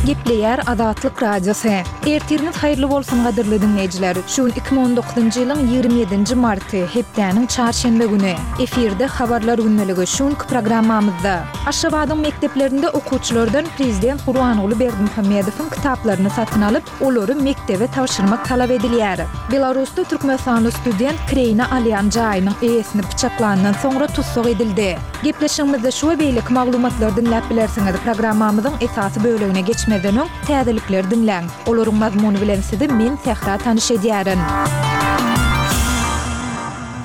Gepleýär Azatlyk Radiosy. Ertiriňiz haýyrly bolsun gadyrly diňleýjiler. Şu gün 2019-njy ýylyň 27-nji marty, hepdäniň çarşenbe güni. Efirde Habarlar gündeligi şu günki programmamyzda. Aşgabadyň mekdeplerinde okuwçylardan prezident Gurbanguly Berdimuhamedowyň kitaplaryny satyn alyp, olary mekdebe tabşyrmak talap edilýär. Belarusda türkmenistanly student kireýine alýan jaýynyň eýesini pyçaklandan soňra tussag edildi. Gepleşigimizde şu we beýleki maglumatlary diňläp bilersiňiz. Programmamyzyň esasy bölegine geçmezden öň, täzelikleri diňläň. Olaryň mazmuny bilen sizi men, Sähra tanyş edýärin.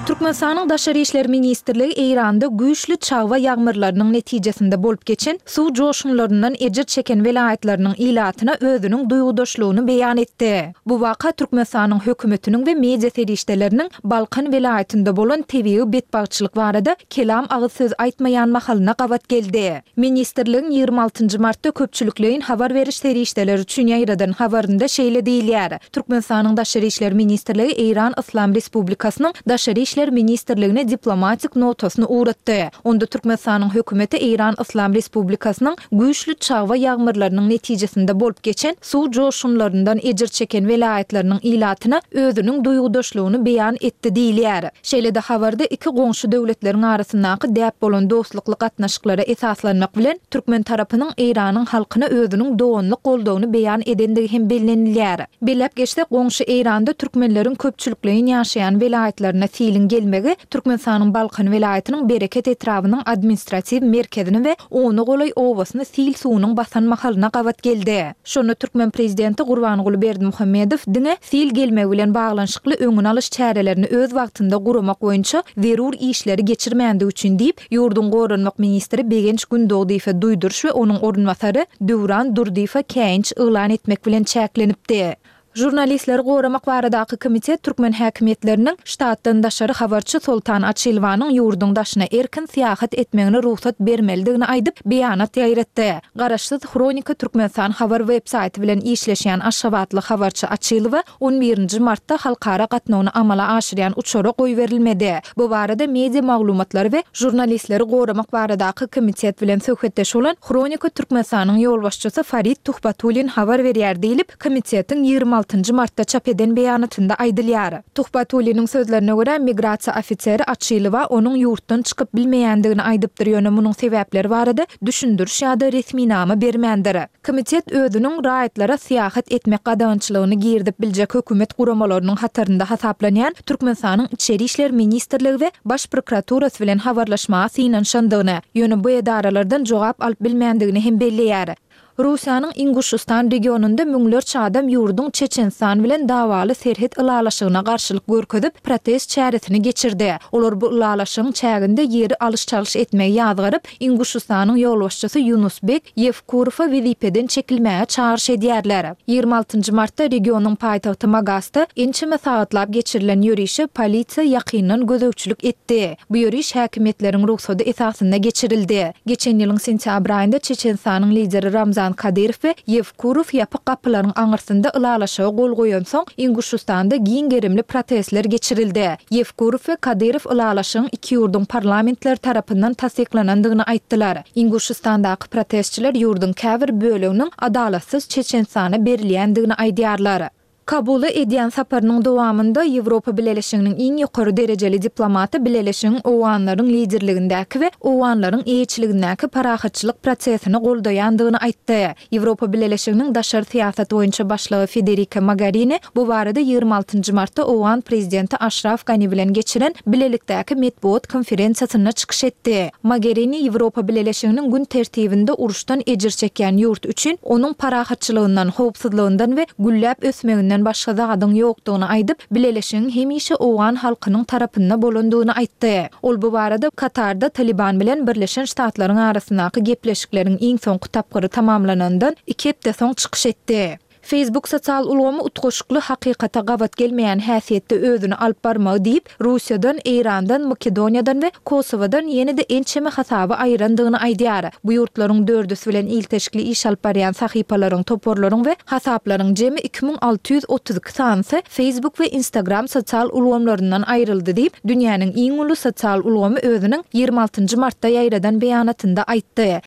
Türkmenistanyň Daşary işler ministrligi Eýranda güýçli çagba ýagmyrlarynyň netijesinde bolup geçen suw joşgunlaryndan ejir çeken welaýatlarynyň ilatyna özüniň duýgudaşlygyny beýan etdi. Bu waka Türkmenistanyň hökümetiniň we media serişdeleriniň Balkan welaýatynda bolan tebigy betbagtçylyk barada kelam agyz söz aýtmaýan mahalyna gabat geldi. Ministrligiň 26 nji martda köpçülikleýin habar beriş serişdeleri üçin ýaýradan habarynda şeýle diýilýär, Türkmenistanyň Daşary işler ministrligi Eýran Yslam Respublikasynyň Daşary işler ministrligine diplomatik notasyny ugratdy. Onda Türkmenistanyň Hökümeti Eýran Yslam Respublikasynyň güýçli çagba ýagmyrlarynyň netijesinde bolup geçen suw joşgunlaryndan ejir çeken welaýatlarynyň ilatyna özüniň duýgudaşlygyny beýan etdi diýilýär. Şeýle-de habarda iki goňşy döwletleriň arasyndaky däp bolan dostlukly gatnaşyklara esaslanmak bilen, türkmen tarapynyň Eýranyň halkyna özüniň doganlyk goldawyny beýan edendigi hem bellenilýär. Belläp geçsek, goňşy Eýranda türkmenleriň köpçülikleýin ýaşaýan welaýatlaryna siliň gelmegi Türkmenistanyň Balkan welaýatynyň Bereket etrabynyň administratiw merkezini we ona golaý obasyny sil suwunyň basan mahalyna gabat geldi. Şonda türkmen prezidenti Gurbanguly Berdimuhamedow diňe sil gelmegi bilen baglanyşykly öňüni alyş çärelerini öz wagtynda guramak boýunça zerur işleri geçirmändigi üçin diýip, ýurduň goranmak ministri Begenç Gündogdyýewe duýduryş we onuň orunbasary Döwran Durdyýewe käýinç yglan etmek bilen çäklenipdi. Žurnalistleri goramak baradaky komitet türkmen häkimiýetleriniň ştatdan daşary habarçy Soltan Açylowanyň ýurduň daşyna erkin syýahat etmegine rugsat bermelidigini aýdyp, beýanat ýaýratdy. Garaşsyz Hronika Türkmenistan habar web-saýty bilen işleşýän aşgabatly habarçy Açylowa on birinji martda halkara gatnawyny amala aşyrýan uçara goýberilmedi. Bu barada media maglumatlary we Žurnalistleri goramak baradaky komitet bilen söhbetdeş bolan Hronika Türkmenistanyň ýolbaşçysy Farid Tuhbatullin habar berýär diýlip, komitetiň 26 nji martda çap eden beýanatynda aýdylýar. Tuhbatulliniň sözlerine görä, migrasiýa ofiseri Açylowa onuň ýurtdan çykyp bilmeýändigini aýdypdyr, ýöne munuň sebäpleri barada düşündiriş ýa-da resminama bermändir. Komitet özüniň raýatlara syýahat etmek gadagançylygyny girizip biljek hökümet guramalarynyň hatarynda hasaplanýan Türkmenistanyň Içeri işler ministrligi we Baş prokuraturasy bilen habarlaşmaga synanyşandygyny, ýöne bu edaralardan jogap alyp bilmändigini hem belleýär. Russiýanyň Inguşystan regionynda müňlerçe adam ýurduň Çeçenistan bilen dawaly serhet ylalaşygyna garşylyk görkezip, protest çäresini geçirdi. Olar bu ylalaşygyň çäginde ýeri alyş-çalyş etmegi ýazgaryp, Inguşystanyň ýolbaşçysy Ýunusbek Ýewkurowa wezipeden çekilmäge çagyryş edýärler. 26 nji martda regionyň paýtagty Magasda ençeme sagatlap geçirilen ýörişe polisiýa ýakyndan gözegçilik etdi. Bu ýöriş häkimiýetleriň rugsady esasynda geçirildi. Geçen ýylyň sentýabr aýynda Çeçenistanyň lideri Ramzan Kadyrow we Ýewkurow ýapyk gapylaryň aňyrsynda ylalaşyga gol goýansoň, Inguşystanda giň gerimli protestler geçirildi. Ýewkurow we Kadyrow ylalaşygyň iki ýurduň parlamentleri tarapyndan tassyklanandygyny aýtdylar. Inguşystandaky protestçiler ýurduň käbir böleginiň adalatsyz Çeçenistana berilýändigini aýdýarlar. Kabula edýän saparynyň dowamynda Ýewropa Bileleşiginiň iň ýokary derejeli diplomaty Bileleşigiň owganlaryň liderligindäki we owganlaryň eýeçiligindäki parahatçylyk prosesini goldaýandygyny aýtdy. Ýewropa Bileleşiginiň daşary syýasat boýunça başlygy Federika Mogarini bu barada 26 nji martda owgan prezidenti Aşraf Gani bilen geçiren bilelikdäki metbugat konferensiýasynda çykyş etdi. Mogerini Ýewropa Bileleşiginiň gün tertibinde uruşdan ejir çekýän ýurt üçin onuň parahatçylygyndan, howpsuzlygyndan we gülläp ösmeginden başga zadyň ýokdugyny aýdyp, Bileleşigiň hemişe owgan halkynyň tarapynda bolandygyny aýtdy. Ol bu barada Katarda Taliban bilen Birleşen Ştatlaryň arasyndaky gepleşikleriň iň soňky tapgyry tamamlanandan iki hepde soň çykyş etdi. Facebook sosial ulgamy utgaşykly hakykata gabat gelmeýän häsiýetde özüni alyp barmagy diýip, Russiýadan, Eýrandan, Makedoniýadan we Kosowadan ýene-de ençeme hasaby aýyrandygyny aýdýar. Bu ýurtlaryň dördüsi bilen ilteşikli iş alyp barýan sahypalaryň, toparlaryň we hasaplaryň jemi 2632 sanysy Facebook we Instagram sosial ulgamlaryndan aýryldy diýip, dünýäniň iň uly sosial ulgamy özüniň 26 nji martda ýaýradan beýanatynda aýtdy.